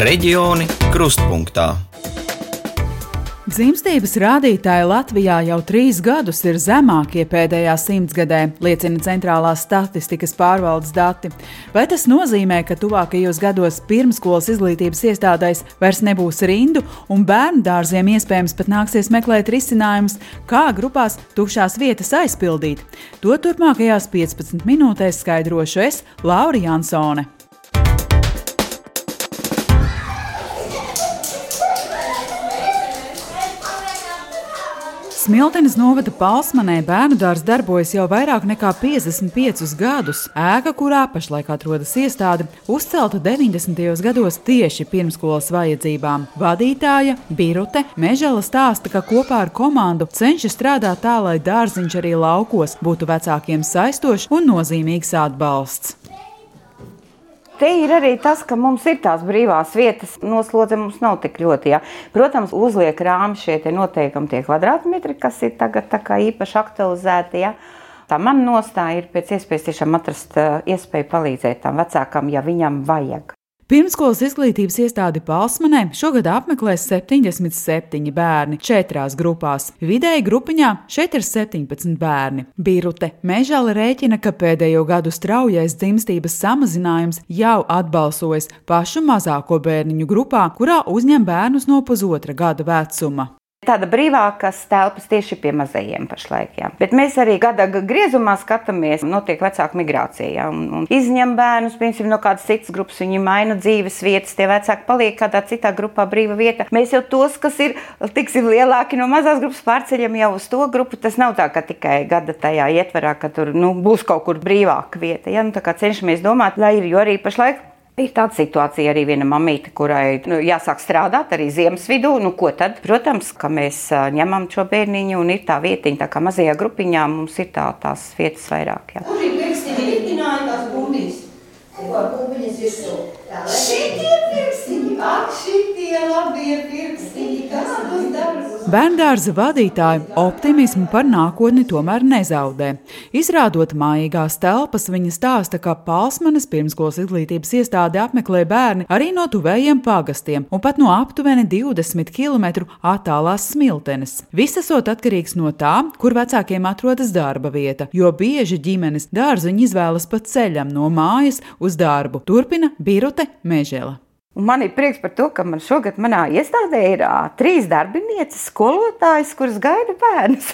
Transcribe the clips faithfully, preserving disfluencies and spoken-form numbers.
Reģioni krustpunktā. Dzimstības rādītāji Latvijā jau trīs gadus ir zemākie pēdējā simtsgadē, liecina Centrālās statistikas pārvaldes dati. Vai tas nozīmē, ka tuvākajos gados pirmsskolas izglītības iestādēs vairs nebūs rindu un bērnu dārziem iespējams pat nāksies meklēt risinājumus, kā grupās tukšās vietas aizpildīt? To turpmākajās piecpadsmit minūtēs skaidrošu es, Laura Jansone. Smiltenes novada Palsmanē bērnudārs darbojas jau vairāk nekā piecdesmit piecus gadus. Ēka, kurā pašlaik atrodas iestāde, uzcelta deviņdesmitajos gados tieši pirmsskolas vajadzībām. Vadītāja Birute Mežela stāsta, ka kopā ar komandu cenšas strādāt tā, lai dārziņš arī laukos būtu vecākiem saistošs un nozīmīgs atbalsts. Te ir arī tas, ka mums ir tās brīvās vietas, noslodze mums nav tik ļoti. Ja. Protams, uzliek rāmi šie te noteikumi tie kvadrātmetri, kas ir tagad tā kā īpaši aktualizēti. Ja. Tā man nostāja ir pēc iespējas tiešām atrast iespēju palīdzēt tam vecākam, ja viņam vajag. Pirmsskolas izglītības iestādi Palsmanē šogad apmeklēs septiņdesmit septiņi bērni četrās grupās. Vidēji grupiņā šeit ir septiņpadsmit bērni. Birute Mežala rēķina, ka pēdējo gadu straujais dzimstības samazinājums jau atbalsojas pašu mazāko bērniņu grupā, kurā uzņem bērnus no pusotra gada vecuma. Tāda brīvākas telpas tieši pie mazajiem pašlaik, jā. Bet mēs arī gada griezumā skatāmies, notiek vecāku migrācija, jā, un, un izņem bērnus, piemēram, no kādas citas grupas, viņi maina dzīves vietas, tie vecāki paliek kādā citā grupā brīva vieta. Mēs jau tos, kas ir, tiksim, lielāki no mazās grupas, pārceļam jau uz to grupu. Tas nav tā, ka tikai gada tajā ietverā, ka tur, nu, būs kaut kur brīvāka vieta, jā, nu, tā kā cenšamies domāt, lai ir, jo arī pašlaik ir tāda situācija arī viena mamīte, kurai nu, jāsāk strādāt arī ziemas vidū. Nu, ko tad? Protams, ka mēs ņemam šo bērniņu un ir tā vietiņa, tā kā mazajā grupiņā mums ir tā, tās vietas vairāk. Jā. Kur ir pirkstiņi iktināja tās bumbiņas? Ko bumbiņas ir to? Šitie pirkstiņi, ak, šitie labie pirkstiņi, kas tos darbus? Bērndārza vadītāji optimismu par nākotni tomēr nezaudē. Izrādot mājīgās telpas, viņa stāsta, ka Palsmanes pirmsskolas izglītības iestāde apmeklē bērni arī no tuvējiem pagastiem un pat no aptuveni divdesmit kilometru attālās Smiltenes. Viss esot atkarīgs no tā, kur vecākiem atrodas darba vieta, jo bieži ģimenes dārziņu izvēlas pa ceļam no mājas uz darbu. Turpina Birute Mežela. Un man ir prieks par to, ka man šogad manā iestādē ir ā, trīs darbinieces, skolotājas, kuras gaida bērnus.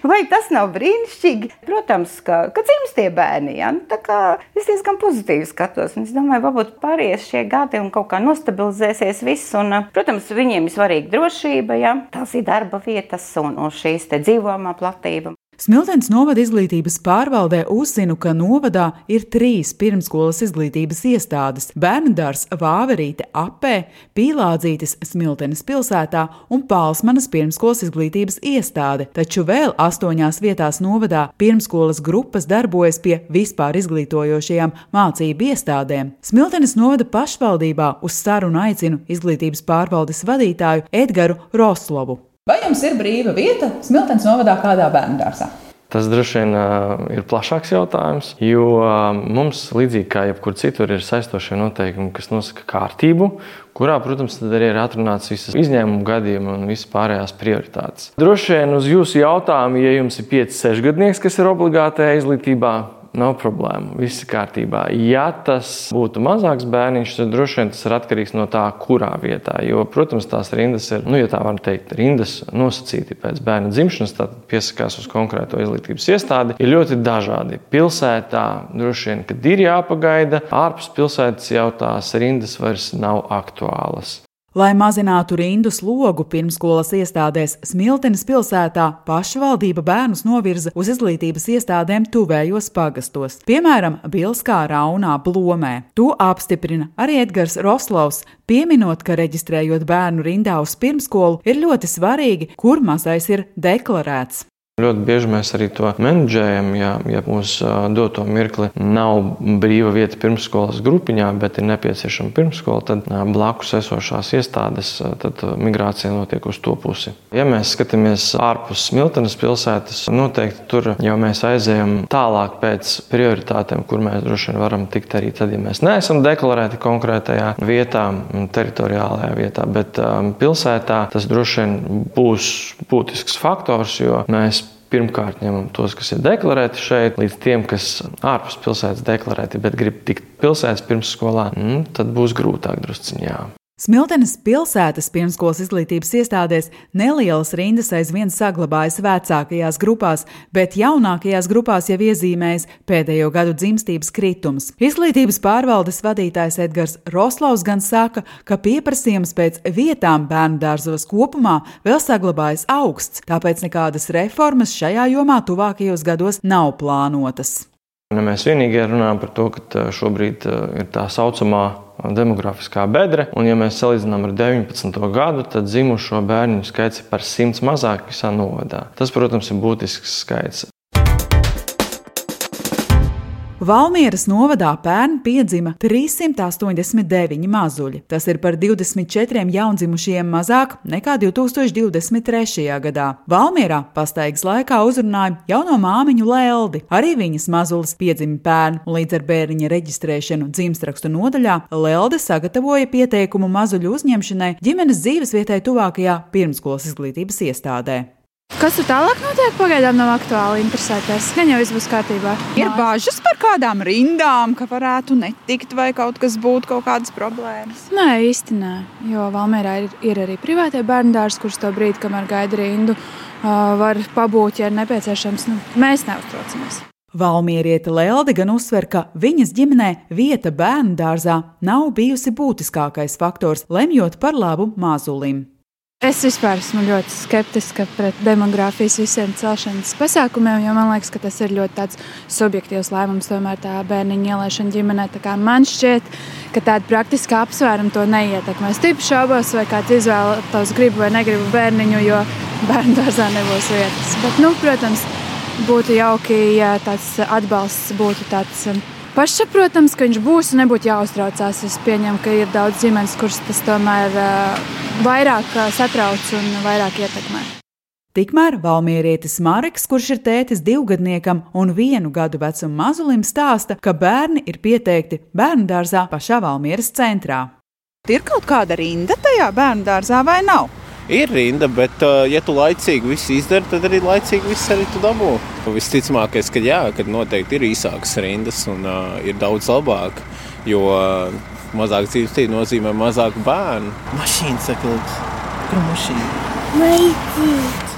Vai tas nav brīnišķīgi? Protams, ka, ka dzimst tie bērni, ja? Nu, tā kā es diezgan pozitīvi skatos. Un es domāju, varbūt pāries šie gadi un kaut kā nostabilizēsies viss. Un, protams, viņiem ir svarīga drošība, ja? Tās ir darba vietas un, un šīs te dzīvojamā platība. Smiltenes novada izglītības pārvaldē uzzinu, ka novadā ir trīs pirmsskolas izglītības iestādes – Bērnudārs Vāverīte Apē, Pīlādzītis Smiltenes pilsētā un Palsmanas pirmsskolas izglītības iestāde, taču vēl astoņās vietās novadā pirmsskolas grupas darbojas pie vispār izglītojošajām mācību iestādēm. Smiltenes novada pašvaldībā uz sarunu aicinu izglītības pārvaldes vadītāju Edgaru Roslovu. Vai jums ir brīva vieta Smiltenes novadā kādā bērnudārzā? Tas droši vien uh, ir plašāks jautājums, jo uh, mums, līdzīgi kā jebkur citur, ir saistošie noteikumi, kas nosaka kārtību, kurā, protams, tad arī ir atrunāts visas izņēmumu gadījumi un visas pārējās prioritātes. Droši vien uz jūsu jautājumu, ja jums ir pieci sešgadnieks, kas ir obligātajā izglītībā, nav problēma, viss ir kārtībā. Ja tas būtu mazāks bērniņš, tad droši vien tas ir atkarīgs no tā, kurā vietā. Jo, protams, tās rindas ir, nu, ja tā var teikt, rindas nosacīti pēc bērna dzimšanas, tad piesakās uz konkrēto izglītības iestādi, ir ļoti dažādi. Pilsētā droši vien, kad ir jāpagaida, ārpus pilsētas jau tās rindas vairs nav aktuālas. Lai mazinātu rindu slogu pirmsskolas iestādēs Smiltenes pilsētā, pašvaldība bērnus novirza uz izglītības iestādēm tuvējos pagastos, piemēram, Bilskā, Raunā, Blomē. To apstiprina arī Edgars Roslovs, pieminot, ka reģistrējot bērnu rindā uz pirmskolu ir ļoti svarīgi, kur mazais ir deklarēts. Ļoti bieži mēs arī to menedžējam, ja, ja uz doto mirkli nav brīva vieta pirmsskolas grupiņā, bet ir nepieciešama pirmsskola, tad blakus esošās iestādes, tad migrācija notiek uz to pusi. Ja mēs skatāmies ārpus Smiltenes pilsētas, noteikti tur jau mēs aizējam tālāk pēc prioritātēm, kur mēs droši vien varam tikt arī tad, ja mēs neesam deklarēti konkrētajā vietā, teritoriālajā vietā, bet pilsētā tas droši vien būs būtisks faktors, jo mēs pirmkārt ņemam tos, kas ir deklarēti šeit, līdz tiem, kas ārpus pilsētas deklarēti, bet grib tikt pilsētas pirmsskolā, mm, tad būs grūtāk drusciņā. Smiltenes pilsētas pirmsskolas izglītības iestādēs nelielas rindas aizvien saglabājas vecākajās grupās, bet jaunākajās grupās jau iezīmējas pēdējo gadu dzimstības kritums. Izglītības pārvaldes vadītājs Edgars Roslavs gan saka, ka pieprasījums pēc vietām bērnu dārzos kopumā vēl saglabājas augsts, tāpēc nekādas reformas šajā jomā tuvākajos gados nav plānotas. Ja mēs vienīgi runājam par to, ka šobrīd ir tā saucamā demografiskā bedre, un ja mēs salīdzinām ar deviņpadsmito gadu, tad dzimušo bērnu skaits ir par simts mazāk visā novadā. Tas, protams, ir būtisks skaits. Valmieras novadā pērn piedzima trīssimt astoņdesmit deviņi mazuļi. Tas ir par divdesmit četriem jaundzimušiem mazāk nekā divi tūkstoši divdesmit trešajā gadā. Valmierā pastaigas laikā uzrunāja jauno māmiņu Leldi. Arī viņas mazulis piedzima pērn, un līdz ar bērniņa reģistrēšanu dzimstrakstu nodaļā Lelde sagatavoja pieteikumu mazuļu uzņemšanai ģimenes dzīvesvietai tuvākajā pirmsskolas izglītības iestādē. Kas tur tālāk notiek? Pagaidām nav aktuāli interesēties. Gan jau viss būs kārtībā. Ir bāžas par kādām rindām, ka varētu netikt vai kaut kas būtu, kaut kādas problēmas? Nē, īsti nē. Jo Valmierā ir, ir arī privātie bērndārs, kurš to brīdi, kamēr gaida rindu, var pabūt, ja ir nepieciešams. Nu, mēs neuztraucamies. Valmieriete Lelde gan uzsver, ka viņas ģimenē vieta bērndārzā nav bijusi būtiskākais faktors, lemjot par labu mazulim. Es vispār esmu ļoti skeptiska pret demogrāfijas visiem celšanas pasākumiem, jo man liekas, ka tas ir ļoti tāds subjektīvs lēmums, tomēr tā bērniņa ielaišana ģimenē. Tā kā man šķiet, ka tāda praktiska apsvēruma to neietekmē. Es tipu šaubos, vai kāds izvēlētos gribu vai negribu bērniņu, jo bērndārzā nebūs vietas. Bet, nu, protams, būtu jauki, ja tāds atbalsts būtu tāds pašsaprotams, ka viņš būs un nebūtu jāuztraucās. Es pieņemu, ka ir daudz ģimenes, kuras tas tomēr vairāk satrauc un vairāk ietekmē. Tikmēr valmierietis Mareks, kurš ir tētis divgadniekam un vienu gadu vecumu mazulim, stāsta, ka bērni ir pieteikti bērndārzā pašā Valmieras centrā. Ir kaut kāda rinda tajā bērndārzā vai nav? Ir rinda, bet ja tu laicīgi visu izdari, tad arī laicīgi viss arī tu dabū. Visticamākais, ka jā, kad noteikti ir īsākas rindas un uh, ir daudz labāk, jo uh, mazāk dzīvestība nozīmē mazāk bērnu. Mašīna saka, kur mašīna? Maicīt!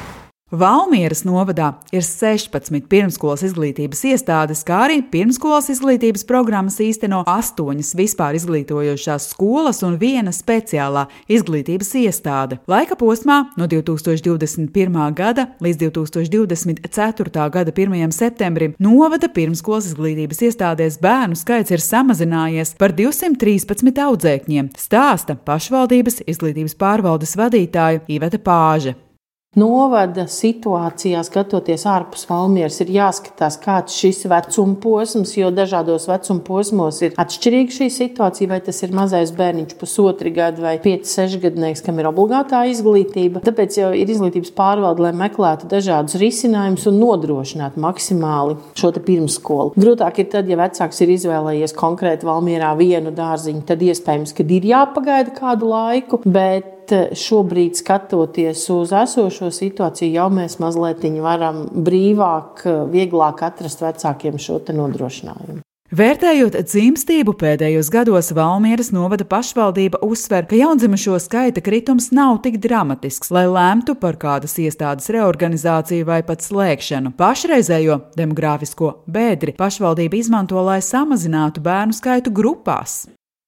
Valmieras novadā ir sešpadsmit pirmsskolas izglītības iestādes, kā arī pirmsskolas izglītības programmas īsteno astoņas vispār izglītojošās skolas un viena speciālā izglītības iestāde. Laika posmā no divi tūkstoši divdesmit pirmā gada līdz divi tūkstoši divdesmit ceturtā gada pirmajam septembrim novada pirmsskolas izglītības iestādēs bērnu skaits ir samazinājies par divsimt trīspadsmit audzēkņiem, stāsta pašvaldības izglītības pārvaldes vadītāja Iveta Pāže. Novada situācijā, skatoties ārpus Valmieras, ir jāskatās, kāds šis vecuma posms, jo dažādos vecuma posmos ir atšķirīga šī situācija, vai tas ir mazais bērniņš pusotri gadu vai pieci sešgadnieks, kam ir obligātā izglītība. Tāpēc jau ir izglītības pārvalde, lai meklētu dažādus risinājumus un nodrošinātu maksimāli šo te pirmsskolu. Grūtāk ir tad, ja vecāks ir izvēlējies konkrēti Valmierā vienu dārziņu, tad iespējams, ka ir jāpagaida kādu laiku, bet šobrīd, skatoties uz esošo situāciju, jau mēs mazliet varam brīvāk, vieglāk atrast vecākiem šo te nodrošinājumu. Vērtējot dzimstību pēdējos gados, Valmieras novada pašvaldība uzsver, ka jaundzimušo skaita kritums nav tik dramatisks, lai lēmtu par kādas iestādes reorganizāciju vai pat slēgšanu. Pašreizējo demogrāfisko bedri pašvaldība izmanto, lai samazinātu bērnu skaitu grupās.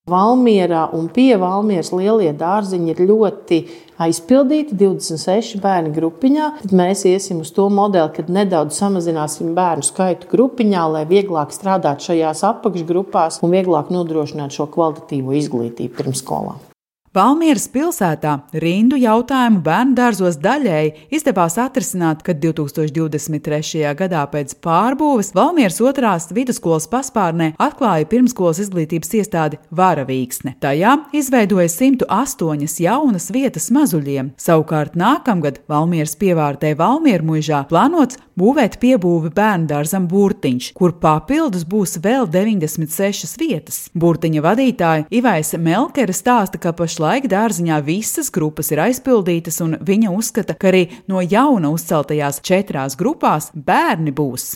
Valmierā un pie Valmieras lielie dārziņi ir ļoti aizpildīti, divdesmit seši bērni grupiņā. Tad mēs iesim uz to modeli, kad nedaudz samazināsim bērnu skaitu grupiņā, lai vieglāk strādāt šajās apakšgrupās un vieglāk nodrošināt šo kvalitatīvo izglītību pirmsskolā. Valmieras pilsētā rindu jautājumu bērnu dārzos daļēji izdevās atrisināt, kad divtūkstoš divdesmit trešajā gadā pēc pārbūves Valmieras otrās vidusskolas paspārnē atklāja pirmskolas izglītības iestādi Varavīksne. Tajā izveidoja simt astoņas jaunas vietas mazuļiem. Savukārt nākamgad Valmieras pievārtē Valmiermuižā plānots būvēt piebūvi bērnu dārzam Burtiņš, kur papildus būs vēl deviņdesmit sešas vietas. Burtiņa vadītāja Ivaise Melkere stāsta, ka pašlaik dārziņā visas grupas ir aizpildītas, un viņa uzskata, ka arī no jauna uzceltajās četrās grupās bērni būs.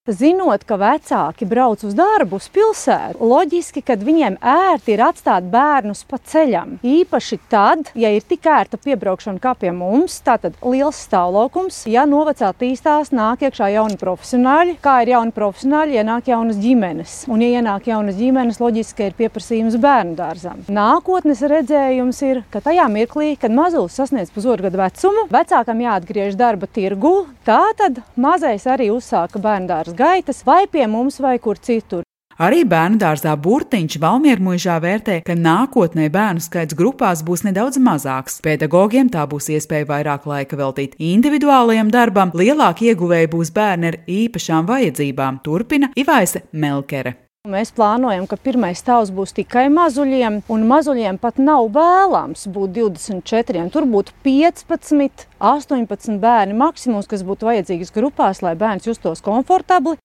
Zinot, ka vecāki brauc uz darbu uz pilsētu, loģiski, kad viņiem ērti ir atstāt bērnus pa ceļam. Īpaši tad, ja ir tik ērta piebraukšana kā pie mums, tātad liels stāvlaukums, ja novecā attīstās, nāk iekšā jauni profesionāļi, kā ir jauni profesionāļi, ienāk jaunas ģimenes. Un, ja ienāk jaunas ģimenes, loģiski ir pieprasījums bērnu dārzam. Nākotnes redzējums ir, ka tajā mirklī, kad mazulis sasniedz pusotru gadu vecumu, vecākam jāatgriež darba tirgu, tātad mazais arī uzsāka bērnu dārza gaitas vai pie mums vai kur citur. Arī bērnu dārzā Burtiņš Valmiermuižā vērtē, ka nākotnē bērnu skaits grupās būs nedaudz mazāks. Pedagogiem tā būs iespēja vairāk laika veltīt individuālajam darbam, lielāki ieguvēji būs bērni ar īpašām vajadzībām, turpina Ivaise Melkere. Mēs plānojam, ka pirmais stāvs būs tikai mazuļiem, un mazuļiem pat nav vēlams būt divdesmit četriem. Tur būtu piecpadsmit, astoņpadsmit bērni maksimums, kas būtu vajadzīgas grupās, lai bērns justos komfortabli.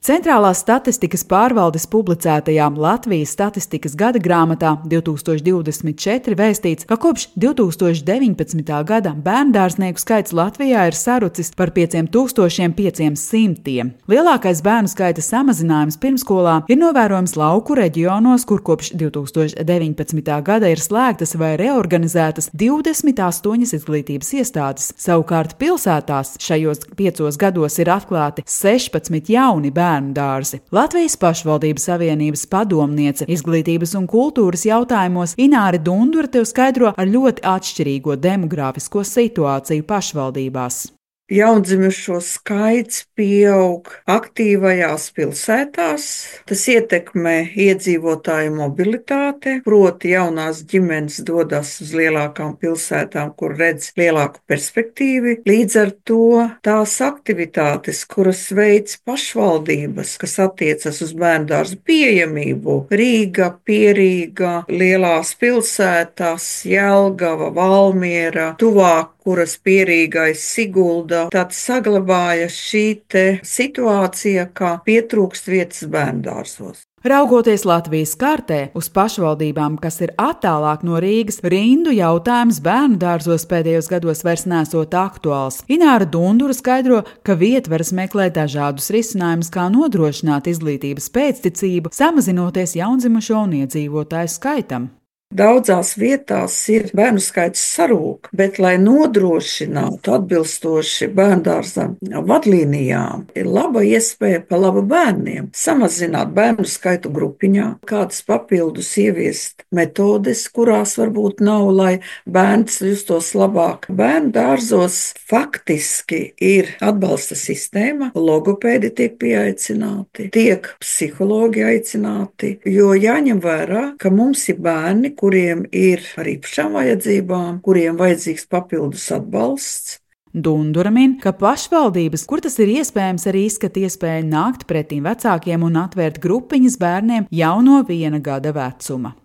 Centrālās statistikas pārvaldes publicētajā Latvijas statistikas gada grāmatā divtūkstoš divdesmit četri vēstīts, ka kopš divtūkstoš deviņpadsmitā gada bērndārznieku skaits Latvijā ir sarucis par pieciem tūkstošiem pieciem simtiem. Lielākais bērnu skaita samazinājums pirmskolā ir novērojams lauku reģionos, kur kopš divtūkstoš deviņpadsmitā gada ir slēgtas vai reorganizētas divdesmit astoņas izglītības iestādes. Savukārt pilsētās šajos piecos gados ir atklāti sešpadsmit jauni bērnu dārzi. Latvijas pašvaldības savienības padomniece izglītības un kultūras jautājumos Ināre Dundure tev skaidro ar ļoti atšķirīgo demogrāfisko situāciju pašvaldībās. Jaundzimušo skaits pieaug aktīvajās pilsētās, tas ietekmē iedzīvotāju mobilitāti, proti jaunās ģimenes dodas uz lielākām pilsētām, kur redz lielāku perspektīvu. Līdz ar to tās aktivitātes, kuras veids pašvaldības, kas attiecas uz bērndārzu pieejamību, Rīga, Pierīga, lielās pilsētās, Jelgava, Valmiera, tuvāk, kuras Pierīgais Sigulda, tad saglabāja šī te situācija, kā pietrūkst vietas bērndārzos. Raugoties Latvijas kartē uz pašvaldībām, kas ir attālāk no Rīgas, rindu jautājums bērnu dārzos pēdējos gados vairs nesot aktuāls. Ināra Dundure skaidro, ka vietvaras meklē dažādus risinājumus, kā nodrošināt izglītības pēcticību, samazinoties jaundzimušo un iedzīvotāju skaitam. Daudzās vietās ir bērnu skaits sarūk, bet, lai nodrošinātu atbilstoši bērndārzam vadlīnijām, ir laba iespēja pa labu bērniem samazināt bērnu skaitu grupiņā, kādas papildus ieviest metodes, kurās varbūt nav, lai bērns justos labāk. Bērnu dārzos faktiski ir atbalsta sistēma, logopēdi tiek pieaicināti, tiek psihologi aicināti, jo jāņem vērā, ka mums ir bērni, kuriem ir ar īpašām vajadzībām, kuriem vajadzīgs papildus atbalsts. Dundure min, ka pašvaldības, kur tas ir iespējams, arī izskata iespēju nākt pretīm vecākiem un atvērt grupiņas bērniem jau no viena gada vecuma.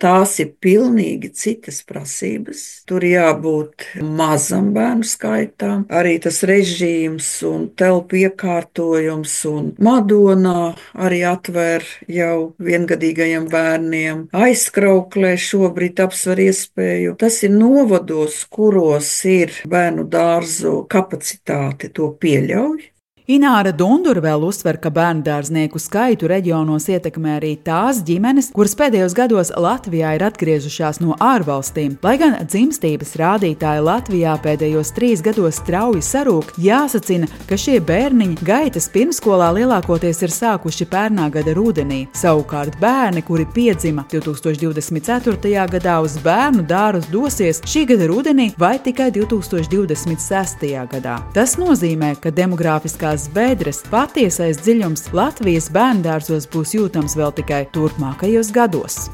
Tās ir pilnīgi citas prasības. Tur jābūt mazam bērnu skaitam, arī tas režīms un telpu iekārtojums un Madonā arī atver jau viengadīgajiem bērniem. Aizkrauklē šobrīd apsver iespēju. Tas ir novados, kuros ir bērnu dārzu kapacitāte, to pieļauj. Ināra Dundure vēl uzsver, ka bērndārznieku skaitu reģionos ietekmē arī tās ģimenes, kuras pēdējos gados Latvijā ir atgriežušās no ārvalstīm. Lai gan dzimstības rādītāji Latvijā pēdējos trīs gados strauji sarūk, jāsacina, ka šie bērniņi gaitas pirmskolā lielākoties ir sākuši pērnā gada rudenī. Savukārt bērni, kuri piedzima divtūkstoš divdesmit ceturtajā gadā uz bērnu dārzu dosies šī gada rudenī vai tikai divtūkstoš divdesmit sestajā gadā. Tas nozīmē, ka demogrāfiskā lielās bedres, patiesais dziļums Latvijas bērndārzos būs jūtams vēl tikai turpmākajos gados.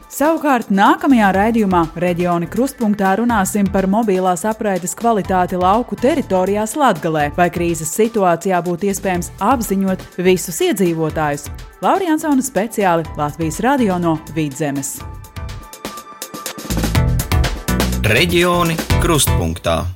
Savukārt nākamajā raidījumā Reģioni Krustpunktā runāsim par mobilās apraides kvalitāti lauku teritorijās Latgalē, vai krīzes situācijā būtu iespējams apziņot visus iedzīvotājus. Laura Jansone speciāli Latvijas radio no Vidzemes. Reģioni Krustpunktā.